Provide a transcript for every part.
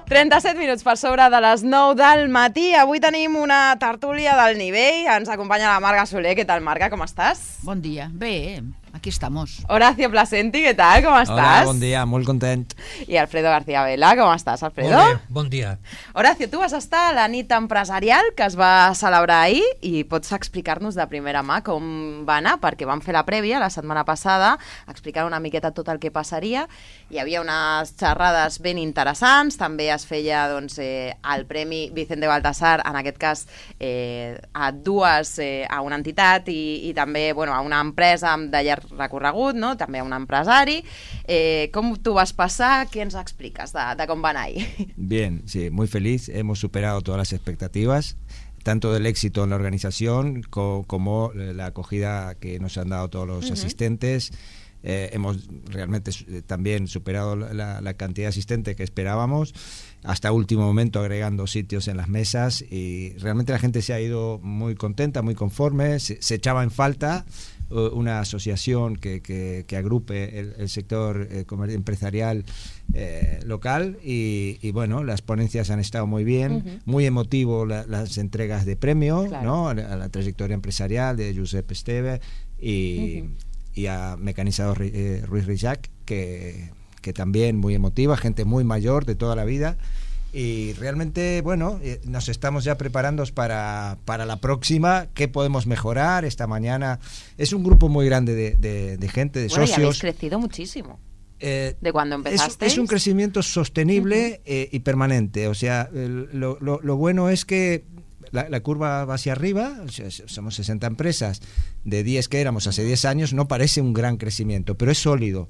37 minuts per sobre de les 9 del matí. Avui tenim una tertúlia del nivell. Ens acompanya la Marga Soler. Què tal, Marga? Com estàs? Bon dia. Bé, aquí estamos. Horacio Placenti, què tal? Com estàs? Hola, bon dia, molt content. I Alfredo García Vela, com estàs, Alfredo? Molt bé, bon dia. Horacio, tu vas estar a la nit empresarial que es va celebrar ahir i pots explicar-nos de primera mà com va anar, perquè vam fer la prèvia la setmana passada, explicar una miqueta tot el que passaria. Hi havia unes xerrades ben interessants, també es feia el Premi Vicente Baltasar, en aquest cas a una entitat i també a una empresa de llarg recorregut, no? També a un empresari. Com tu vas passar? Què ens expliques de com va anar ahir? Bien, sí, muy feliz. Hemos superado todas las expectativas, tanto del éxito en la organización como la acogida que nos han dado todos los asistentes. Hemos realmente también superado la cantidad de asistentes que esperábamos, hasta último momento agregando sitios en las mesas, y realmente la gente se ha ido muy contenta, muy conforme. Se echaba en falta una asociación que agrupe el sector empresarial local, y bueno, las ponencias han estado muy bien, muy emotivo las entregas de premio, claro, ¿no? A la trayectoria empresarial de Josep Esteve y a Mecanizador Ruiz Rijac, que también muy emotiva, gente muy mayor de toda la vida. Y realmente, bueno, nos estamos ya preparando para la próxima. ¿Qué podemos mejorar esta mañana? Es un grupo muy grande de gente, de socios. Y habéis crecido muchísimo. De cuando empezasteis. Es un crecimiento sostenible y permanente. O sea, lo bueno es que la curva va hacia arriba. O sea, somos 60 empresas. De 10 que éramos hace 10 años, no parece un gran crecimiento, pero es sólido.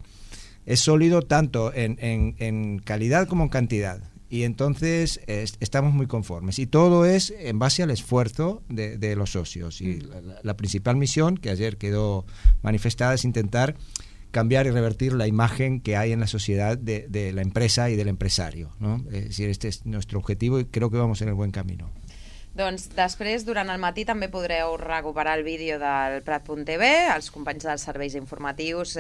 Es sólido tanto en calidad como en cantidad. Y entonces estamos muy conformes. Y todo es en base al esfuerzo de los socios. Y la principal misión, que ayer quedó manifestada, es intentar cambiar y revertir la imagen que hay en la sociedad de la empresa y del empresario, ¿no? Es decir, este es nuestro objetivo y creo que vamos en el buen camino. Doncs després, durant el matí, també podreu recuperar el vídeo del Prat.tv. Els companys dels serveis informatius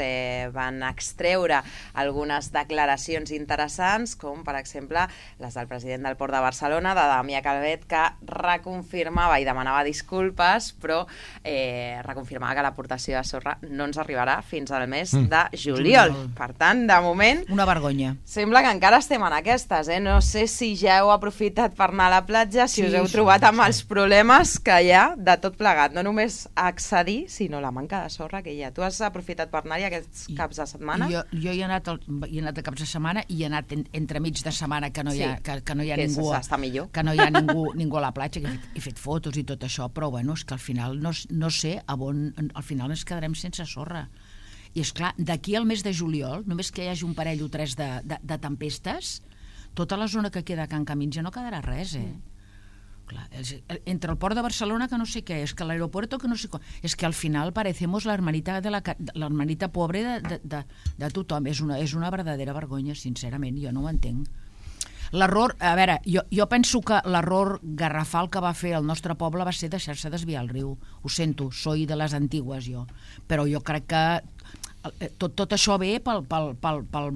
van extreure algunes declaracions interessants, com, per exemple, les del president del Port de Barcelona, de Damià Calvet, que reconfirmava i demanava disculpes, però reconfirmava que l'aportació de sorra no ens arribarà fins al mes de juliol. Per tant, de moment... Una vergonya. Sembla que encara estem en aquestes, No sé si ja heu aprofitat per anar a la platja, si us heu trobat amb els problemes que hi ha de tot plegat, no només accedir, sinó la manca de sorra que hi ha. Tu has aprofitat per anar-hi aquests caps de setmana? Jo hi he anat a caps de setmana i he anat entremig de setmana que no hi ha, que no hi ha ningú, que no hi ha ningú a la platja, que he fet fotos i tot això, però bueno, és que al final no sé on al final ens quedarem sense sorra. I és clar, d'aquí al mes de juliol, només que hi hagi un parell o tres de tempestes, tota la zona que queda a Can Camins ja no quedarà res, Clar, entre el port de Barcelona que no sé què, és que l'aeropuerto que no sé com, és que al final parecemos la hermanita pobre de tothom. És una verdadera vergonya, sincerament, jo no ho entenc. L'error, a veure, jo penso que l'error garrafal que va fer el nostre poble va ser deixar-se desviar el riu. Ho sento, soy de les antigues jo, però jo crec que tot això ve pel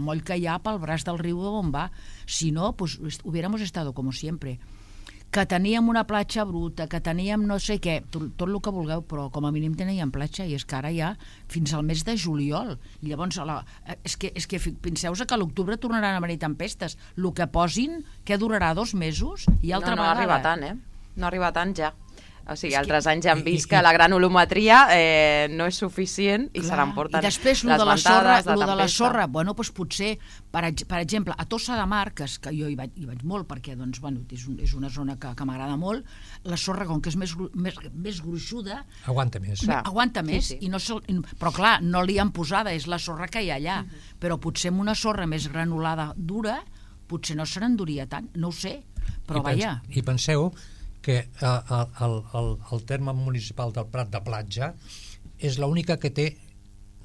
moll que hi ha pel braç del riu on va. Si no, pues hubiéramos estado como siempre. Que teníem una platja bruta, que teníem no sé què, tot el que vulgueu, però com a mínim teníem platja, i és que ara ja fins al mes de juliol. I llavors, és que penseu-vos que a l'octubre tornaran a venir tempestes. El que posin, que durarà 2 mesos, i altra vegada. No arriba tant, No arriba tant ja. O sigui, altres anys ja hem vist que la granulometria no és suficient i se l'emporten les ventades, la tempesta. I de la sorra, bueno, doncs potser, per exemple, a Tossa de Mar, que jo hi vaig molt perquè és una zona que m'agrada molt, la sorra, com que és més gruixuda... Aguanta més. Aguanta més, però clar, no li han posada, és la sorra que hi ha allà. Però potser amb una sorra més granulada dura, potser no se n'enduria tant, no ho sé, però vaja. I penseu que el terme municipal del Prat de Platja és l'única que té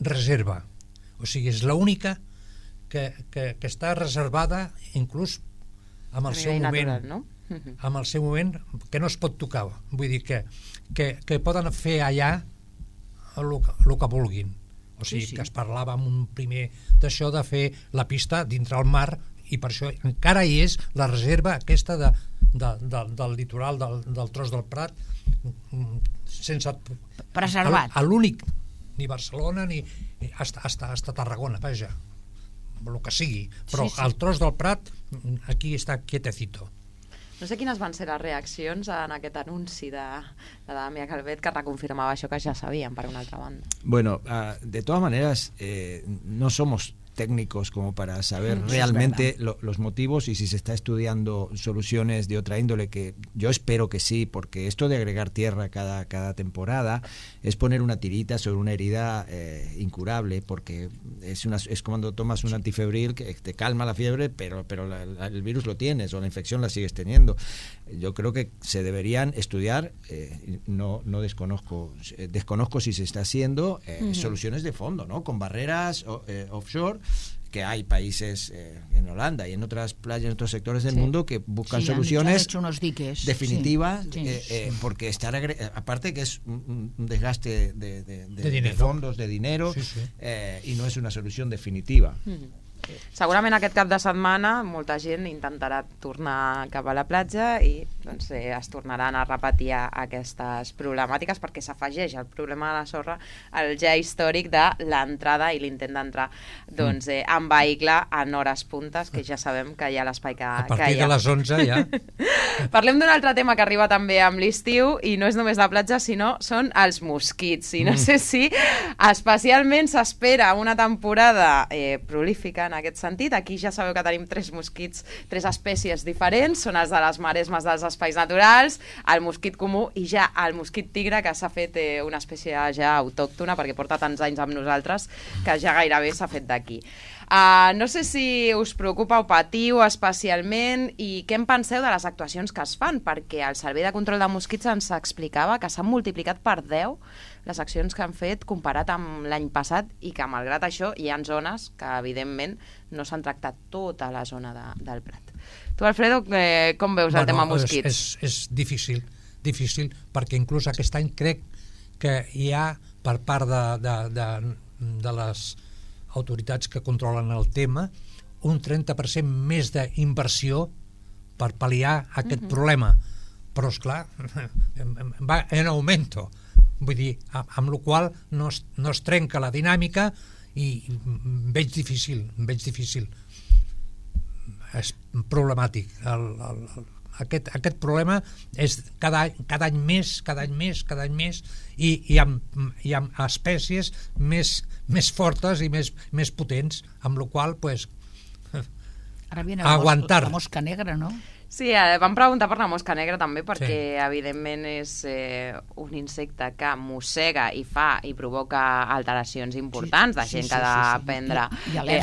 reserva, o sigui, és l'única que està reservada inclús amb el seu moment, no? Amb el seu moment, que no es pot tocar, vull dir que poden fer allà el que vulguin. O sigui, que es parlava amb un primer d'això de fer la pista dintre el mar i per això encara hi és la reserva aquesta del litoral del Tros del Prat, sense preservat. A l'únic, ni Barcelona ni hasta Tarragona, vaja, el que sigui, però el Tros del Prat aquí està quietecito. No sé quines van ser les reaccions en aquest anunci de Damià Calvet, que reconfirmava això que ja sabíem, per una altra banda. Bueno, de todas maneras, no somos técnicos como para saber realmente los motivos y si se está estudiando soluciones de otra índole, que yo espero que sí, porque esto de agregar tierra cada temporada es poner una tirita sobre una herida incurable, porque es cuando tomas un antifebril que te calma la fiebre, pero el virus lo tienes o la infección la sigues teniendo. Yo creo que se deberían estudiar, no desconozco si se está haciendo soluciones de fondo, ¿no? Con barreras offshore, que hay países en Holanda y en otras playas, en otros sectores del mundo que buscan soluciones definitivas, porque aparte que es un desgaste de fondos, de dinero, y no es una solución definitiva. Segurament aquest cap de setmana molta gent intentarà tornar cap a la platja i doncs, es tornaran a repetir aquestes problemàtiques, perquè s'afegeix el problema de la sorra al ja històric de l'entrada i l'intent d'entrar en vehicle en hores puntes, que ja sabem que hi ha l'espai que hi ha. A partir de les 11 ja. Parlem d'un altre tema que arriba també amb l'estiu, i no és només la platja, sinó són els mosquits. I no sé si especialment s'espera una temporada prolífica en aquest sentit. Aquí ja sabeu que tenim 3 mosquits, 3 espècies diferents, són els de les maresmes dels espais naturals, el mosquit comú i ja el mosquit tigre, que s'ha fet una espècie ja autòctona perquè porta tants anys amb nosaltres que ja gairebé s'ha fet d'aquí. No sé si us preocupa o patiu especialment, i què en penseu de les actuacions que es fan, perquè el Servei de Control de Mosquits ens explicava que s'han multiplicat per 10 les accions que han fet comparat amb l'any passat, i que malgrat això hi ha zones que evidentment no s'han tractat tota la zona del Prat. Tu, Alfredo, com veus el tema mosquits? És difícil, perquè inclús aquest any crec que hi ha per part de les autoritats que controlen el tema un 30% més d'inversió per pal·liar aquest problema, però esclar va en augmento, vull dir, amb la qual no es trenca la dinàmica, i veig difícil, és problemàtic. Aquest problema és cada any més, i amb espècies més fortes i més potents, amb la qual aguantar. La mosca negra, no? Sí, vam preguntar per la mosca negra també, perquè evidentment és un insecte que mossega i provoca alteracions importants, de gent que ha de prendre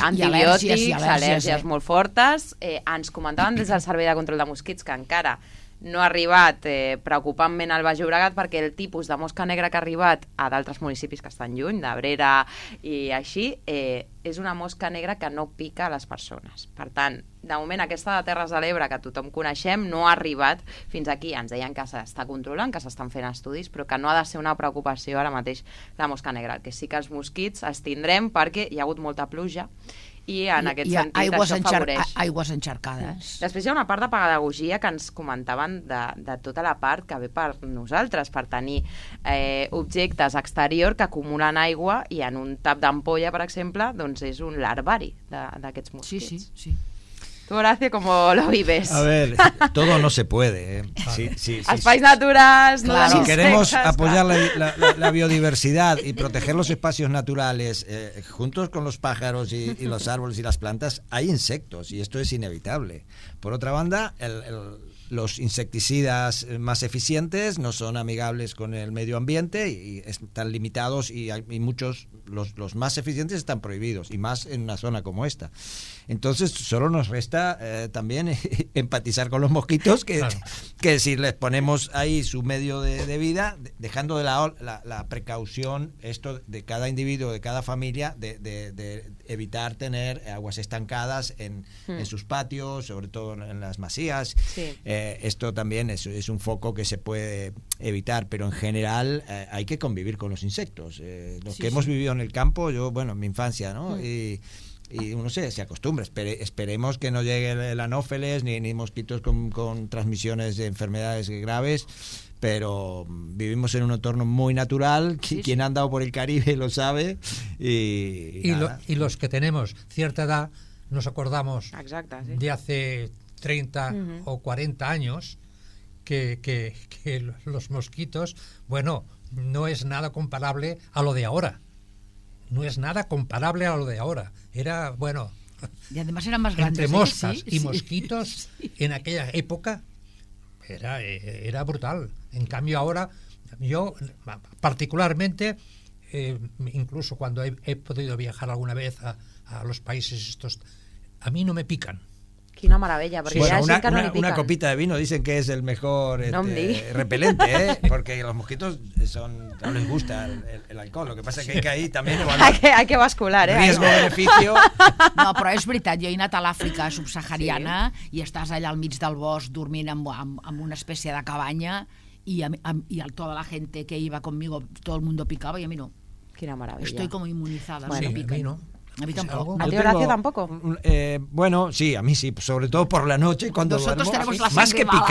antibiòtics, al·lèrgies molt fortes. Ens comentaven des del Servei de Control de Mosquits que encara no ha arribat preocupantment al Baix Llobregat, perquè el tipus de mosca negra que ha arribat a d'altres municipis que estan lluny, d'Abrera i així, és una mosca negra que no pica a les persones. Per tant, de moment aquesta de Terres de l'Ebre, que tothom coneixem, no ha arribat fins aquí. Ens deien que s'està controlant, que s'estan fent estudis, però que no ha de ser una preocupació ara mateix la mosca negra. Que sí que els mosquits els tindrem perquè hi ha hagut molta pluja, i en aquest sentit això afavoreix. Aigües encharcades. Després hi ha una part de pedagogia que ens comentaven de tota la part que ve per nosaltres, per tenir objectes exterior que acumulen aigua, i en un tap d'ampolla, per exemple, doncs és un larvari d'aquests mosquits. Sí. Tú, Horacio, ¿cómo lo vives? A ver, todo no se puede. Espais naturales, claro. Si queremos apoyar la biodiversidad y proteger los espacios naturales, juntos con los pájaros y los árboles y las plantas, hay insectos, y esto es inevitable. Por otra banda, los insecticidas más eficientes no son amigables con el medio ambiente y están limitados, y muchos, los más eficientes están prohibidos, y más en una zona como esta. Entonces solo nos resta también empatizar con los mosquitos, que si les ponemos ahí su medio de vida, dejando de lado la precaución, esto de cada individuo, de cada familia, de evitar tener aguas estancadas en sus patios, sobre todo en las masías. Sí. Esto también es un foco que se puede evitar, pero en general hay que convivir con los insectos. Los que hemos vivido en el campo, yo, en mi infancia, ¿no? y uno se acostumbra. Esperemos que no llegue el anófeles ni mosquitos con transmisiones de enfermedades graves, pero vivimos en un entorno muy natural. Quien ha andado por el Caribe lo sabe. Y los que tenemos cierta edad nos acordamos de hace 30 o 40 años que los mosquitos, bueno, no es nada comparable a lo de ahora. No es nada comparable a lo de ahora. Era, bueno... Y además eran más grandes. Entre moscas y mosquitos, en aquella época, era brutal. En cambio ahora, yo particularmente, incluso cuando he podido viajar alguna vez a los países estos, a mí no me pican. Quina meravella, perquè bueno, hi ha gent que no li piquen. Una copita de vino dicen que es el mejor repelente, porque los mosquitos no les gusta el alcohol. Lo que pasa es que ahí también... Hay que bascular, Riesgo-beneficio... No, però és veritat, jo he anat a l'Àfrica subsahariana i estàs allà al mig del bosc dormint amb una espècie de cabanya y toda la gente que iba conmigo, todo el mundo picaba y a mí no. Quina meravella. Estoy como inmunizada. Bueno, sí, a mí no. A mí tampoco. ¿A ti, Horacio, tampoco? Bueno, sí, a mí sí, sobre todo por la noche cuando nosotros duermo. Tenemos la más que mala.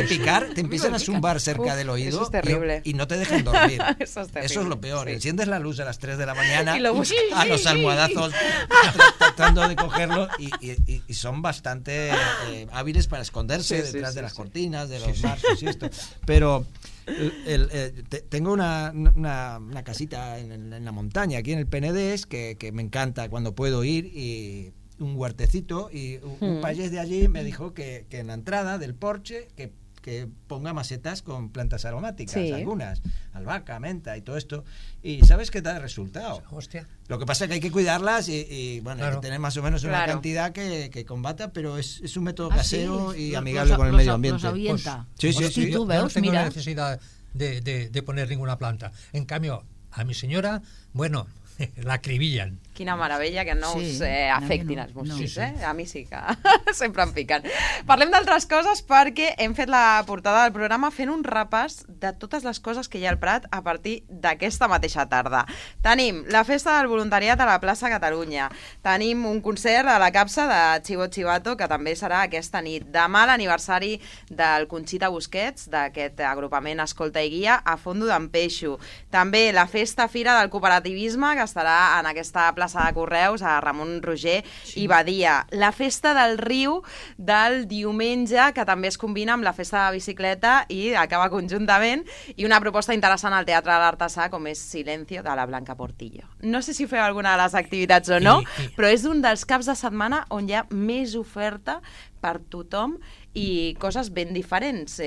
picar, te empiezan a zumbar cerca del oído. Eso es terrible. Y no te dejan dormir. Eso es lo peor. Sí. Enciendes la luz a las 3 de la mañana y a los almohadazos tratando de cogerlo y son bastante hábiles para esconderse detrás de las cortinas, de los marcos y esto. Pero... tengo una casita en la montaña aquí en el Penedés que me encanta cuando puedo ir, y un huertecito, y un payés de allí me dijo que en la entrada del porche que ponga macetas con plantas aromáticas, algunas, albahaca, menta y todo esto, y ¿sabes qué da resultado? Hostia. Lo que pasa es que hay que cuidarlas y bueno, claro, hay que tener más o menos una cantidad que combata, pero es un método casero y amigable los con el medio ambiente. Los avienta. Pues, sí. Tú veus, no tengo mira. necesidad de poner ninguna planta. En cambio, a mi senyora, bueno, la acribillen. Quina meravella que no us afectin els mosquits, A mi sí que sempre em piquen. Parlem d'altres coses perquè hem fet la portada del programa fent un repàs de totes les coses que hi ha al Prat a partir d'aquesta mateixa tarda. Tenim la festa del voluntariat a la plaça Catalunya, tenim un concert a la capsa de Chivo Chivato, que també serà aquesta nit. Demà l'aniversari del Conxita Busquets, d'aquest agrupament Escolta i Guia, a Fondo d'en Peixo. També la festa fira del cooperativisme, que estarà en aquesta plaça de Correus, a Ramon Roger i Badia. La festa del riu del diumenge, que també es combina amb la festa de bicicleta i acaba conjuntament, i una proposta interessant al Teatre de l'Artesà, com és Silencio, de la Blanca Portillo. No sé si feu alguna de les activitats o no, però és un dels caps de setmana on hi ha més oferta per tothom i coses ben diferents.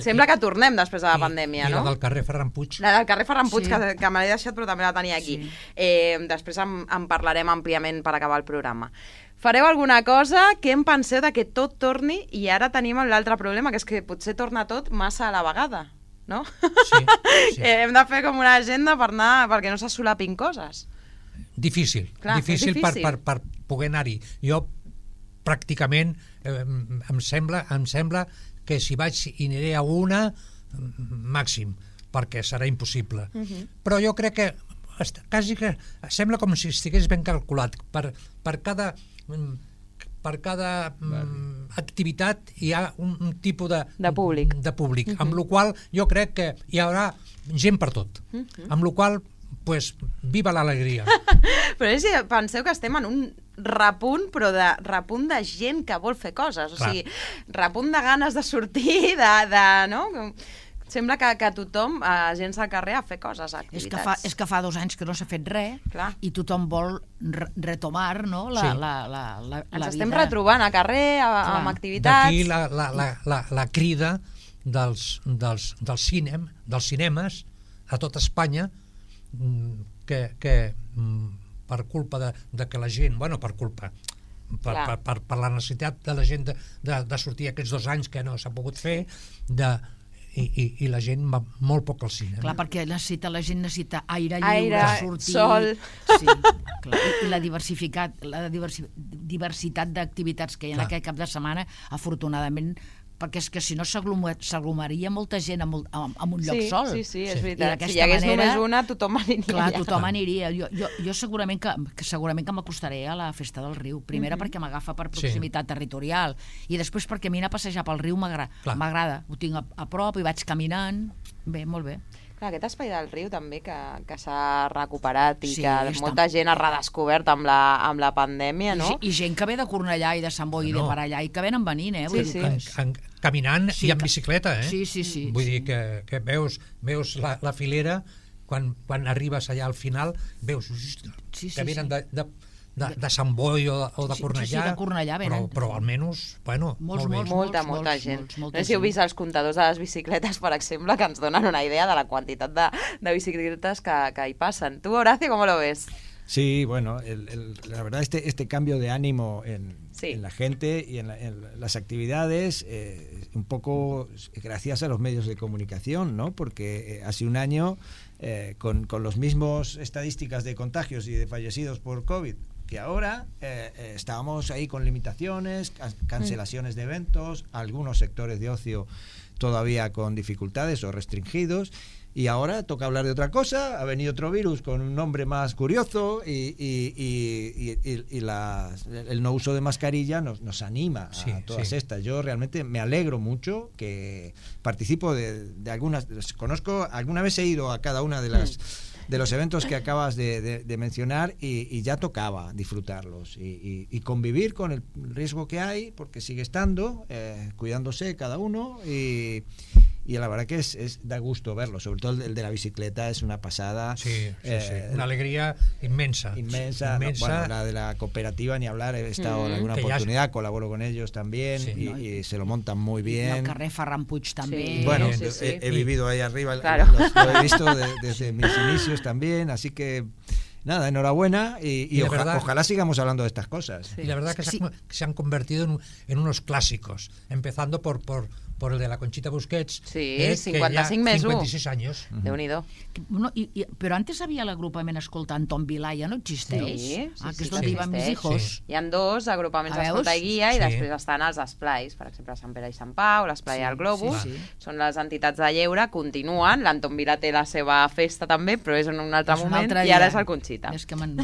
Sembla que tornem després de la pandèmia, no? I la del carrer Ferran Puig. La del carrer Ferran Puig, que me l'he deixat, però també la tenia aquí. Després en parlarem àmpliament per acabar el programa. Fareu alguna cosa? Què en penseu de que tot torni? I ara tenim l'altre problema, que és que potser torna tot massa a la vegada, no? Sí. Hem de fer com una agenda perquè no se solapin coses. Difícil. Clar, difícil per poder anar-hi. Jo pràcticament em sembla que si vaig i aniré a una, màxim, perquè serà impossible. Però jo crec que quasi que sembla com si estigués ben calculat. Per cada activitat hi ha un tipus de públic, amb la qual jo crec que hi haurà gent per tot. Amb la qual, pues, viva l'alegria. Però penseu que estem en un repunt, però de repunt de gent que vol fer coses, o sigui, repunt de ganes de sortir, no? Sembla que tothom, gent al carrer, a fer coses, activitats. És que fa 2 anys que no s'ha fet res i tothom vol retomar, no? Ens estem retrobant a carrer, amb activitats. D'aquí la crida dels cinemes a tot Espanya, que per culpa de que la gent, bueno, per culpa, per la necessitat de la gent de sortir aquests 2 anys que no s'ha pogut fer, i la gent va molt poc al cine. Clar, perquè la gent necessita aire lliure, sortir, sol. Sí, clar. I la diversitat d'activitats que hi ha en aquest cap de setmana, afortunadament, perquè és que si no s'aglomeraria molta gent en un lloc sol. Sí, és veritat. Si hi hagués només una, tothom aniria. Clar, tothom aniria. Jo segurament que m'acostaré a la Festa del Riu. Primera perquè m'agafa per proximitat territorial i després perquè a mi anar a passejar pel riu m'agrada. Ho tinc a prop i vaig caminant. Bé, molt bé. Clar, aquest espai del riu també que s'ha recuperat i que molta gent ha redescobert amb la pandèmia, no? I gent que ve de Cornellà i de Sant Boi i de per allà i que venen venint, caminant i en bicicleta, Sí. Vull dir que veus la filera, quan arribes allà al final, veus que venen de Sant Boi o de Cornellà, sí, de Cornellà venen. Però almenys, bueno, molta gent. No sé si heu vist els comptadors de les bicicletes, per exemple, que ens donen una idea de la quantitat de bicicletes que hi passen. Tu, Horacio, ¿cómo lo ves? Sí, bueno, la verdad este cambio de ánimo en la gente y en las actividades, un poco gracias a los medios de comunicación, ¿no? Porque hace un año, con los mismos estadísticas de contagios y de fallecidos por COVID, que ahora estábamos ahí con limitaciones, cancelaciones de eventos, algunos sectores de ocio todavía con dificultades o restringidos, y ahora toca hablar de otra cosa. Ha venido otro virus con un nombre más curioso y el no uso de mascarilla nos anima a todas estas. Yo realmente me alegro mucho, que participo de algunas, conozco, alguna vez he ido a cada una de los eventos que acabas de mencionar y ya tocaba disfrutarlos y convivir con el riesgo que hay, porque sigue estando, cuidándose cada uno, y la verdad que da gusto verlo, sobre todo el de la bicicleta es una pasada. Sí. Una alegría inmensa. Bueno, la de la cooperativa ni hablar, he estado en alguna oportunidad, colaboro con ellos también y se lo montan muy bien. Y el carrer Ferran Puig también. Sí, bueno, he vivido ahí arriba, claro. Lo he visto desde mis inicios también, así que nada, enhorabuena y ojalá sigamos hablando de estas cosas. Y la verdad que se han convertido en unos clásicos, empezando por el de la Conchita Busquets, 56 años. Déu-n'hi-do. No, però antes havia l'agrupament escoltant Tom Vilà, ja no existeix? Sí, que és d'on hi van mis hijos. Sí. Hi ha dos agrupaments d'escolta i guia i després estan els esplais, per exemple, Sant Pere i Sant Pau, l'esplai al Globus, són les entitats de lleure, continuen, l'Anton Vilà té la seva festa també, però és en un altre moment i ara és el Conxita. És que me'n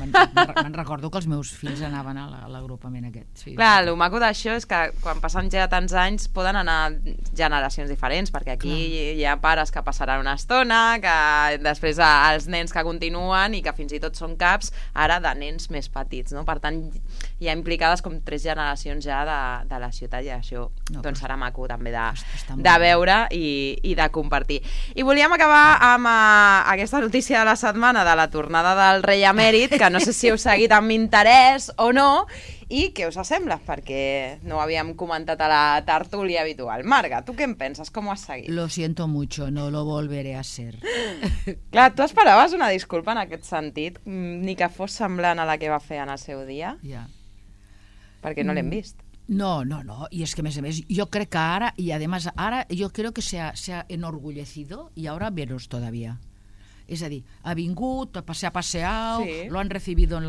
recordo que els meus fills anaven a l'agrupament aquest. Clar, el maco d'això és que quan passen ja tants anys poden anar generacions diferents, perquè aquí hi ha pares que passaran una estona, que després els nens que continuen i que fins i tot són caps ara de nens més petits, no? Per tant, hi ha implicades com 3 generacions ja de la ciutat i això doncs serà maco també de veure i de compartir. I volíem acabar amb aquesta notícia de la setmana de la tornada del rei emèrit, que no sé si heu seguit amb interès o no, i què us sembla? Perquè no ho havíem comentat a la tertúlia habitual. Marga, tu què en penses? Com ho has seguit? Lo siento mucho, no lo volveré a ser. Clar, tu esperaves una disculpa en aquest sentit, ni que fos semblant a la que va fer en el seu dia? Ja. Perquè no l'hem vist. No, y es que a més, yo creo que ahora, y además ahora yo creo que se ha enorgullecido y ahora menos todavía. És a dir, ha vingut, ha passeat, lo han recibido el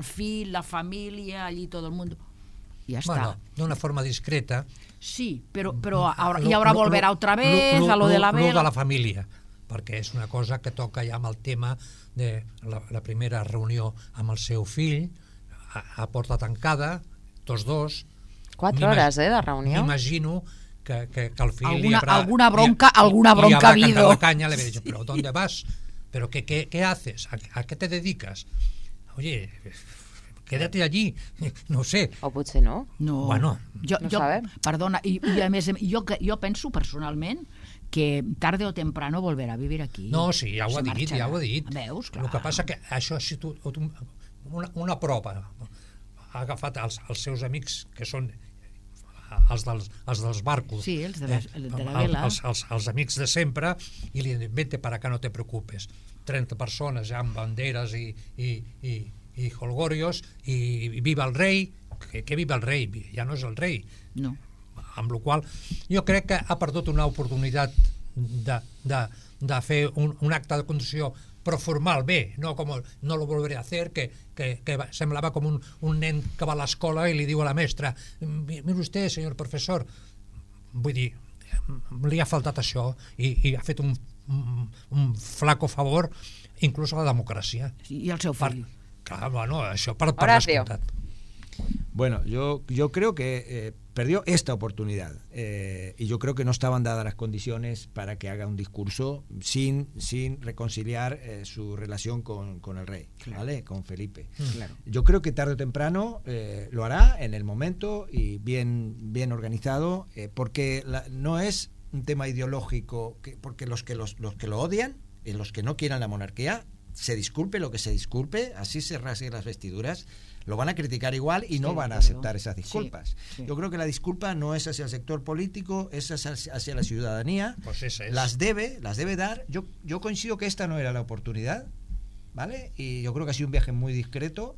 fill, la família, allí todo el mundo. Y ya está. Bueno, de una forma discreta. Sí, pero ahora volverá otra vez a lo de la vela. Lo de la família, perquè és una cosa que toca ja amb el tema de la primera reunió amb el seu fill, a porta tancada, tots dos. 4 hores, de reunió. M'imagino que el fill alguna bronca ha habido. La caña, le había dicho, pero ¿dónde vas? ¿Pero qué haces? ¿A qué te dedicas? Oye, quédate allí, no sé. O potser no. No. Bueno, no sabem. Perdona, i a més, jo penso personalment que tarde o temprano volverà a vivir aquí. No, sí, ja ho ha dit. Veus, clar. El que passa que això ha sigut una prova. Ha agafat els seus amics, que són els dels barcos, els de la vela, els amics de sempre, i li diuen, vete para acá, no te preocupes. 30 persones ja amb banderes i holgorios, i viva el rei. Que viva el rei, ja no és el rei. No. Amb la qual jo crec que ha perdut una oportunitat de fer un acte de condició però formal bé, no com no lo volveré a hacer, que semblava com un nen que va a l'escola i li diu a la mestra, mira usted, senyor professor, vull dir, li ha faltat això i ha fet un flaco favor inclús a la democràcia. I al seu fill. Clar, bueno, això per descomptat. Bueno, yo creo que perdió esta oportunidad y yo creo que no estaban dadas las condiciones para que haga un discurso sin reconciliar su relación con el rey, claro. ¿Vale? Con Felipe. Claro. Yo creo que tarde o temprano lo hará en el momento y bien organizado, porque no es un tema ideológico, porque los que lo odian y los que no quieran la monarquía, se disculpe lo que se disculpe, así se rasguen las vestiduras, lo van a criticar igual y no van a aceptar esas disculpas. Sí. Yo creo que la disculpa no es hacia el sector político, es hacia la ciudadanía. Pues esa es. Las debe dar. Yo coincido que esta no era la oportunidad, ¿vale? Y yo creo que ha sido un viaje muy discreto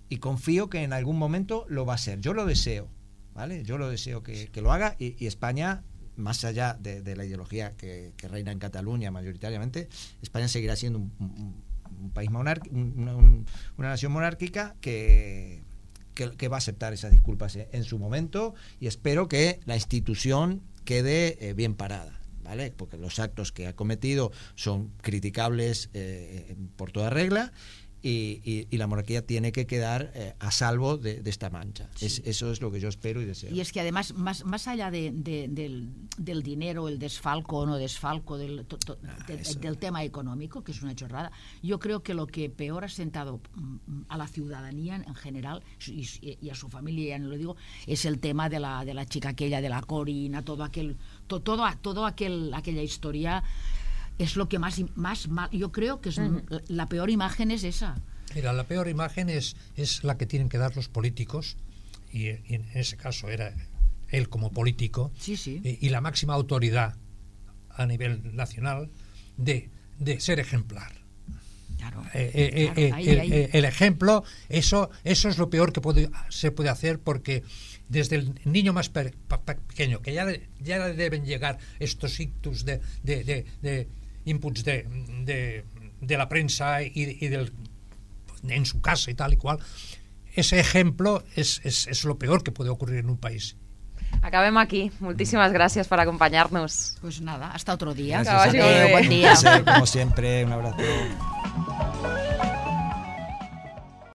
y confío que en algún momento lo va a hacer. Yo lo deseo, ¿vale? Yo lo deseo que lo haga y España, más allá de la ideología que reina en Cataluña mayoritariamente, España seguirá siendo un país una nación monárquica que va a aceptar esas disculpas en su momento, y espero que la institución quede bien parada, ¿vale? Porque los actos que ha cometido son criticables por toda regla, y la monarquía tiene que quedar a salvo de esta mancha. Sí. Eso es lo que yo espero y deseo. Y es que además, más allá del dinero, el desfalco o no desfalco, del tema económico, que es una chorrada, yo creo que lo que peor ha sentado a la ciudadanía en general y a su familia, ya no lo digo, es el tema de la chica aquella, de la Corina, toda aquella historia. Es lo que más mal, yo creo que es la peor imagen es esa. Mira, la peor imagen es la que tienen que dar los políticos, y en ese caso era él como político, sí. Y la máxima autoridad a nivel nacional de ser ejemplar. Claro, el ejemplo, eso es lo peor que se puede hacer, porque desde el niño más pequeño, que ya le deben llegar estos ictus de inputs de la prensa y en su casa y tal y cual, ese ejemplo es lo peor que puede ocurrir en un país. Acabem aquí. Muchísimas gracias por acompañarnos. Pues nada, hasta otro día. Gracias a ti. Buen día. Como siempre, un abrazo.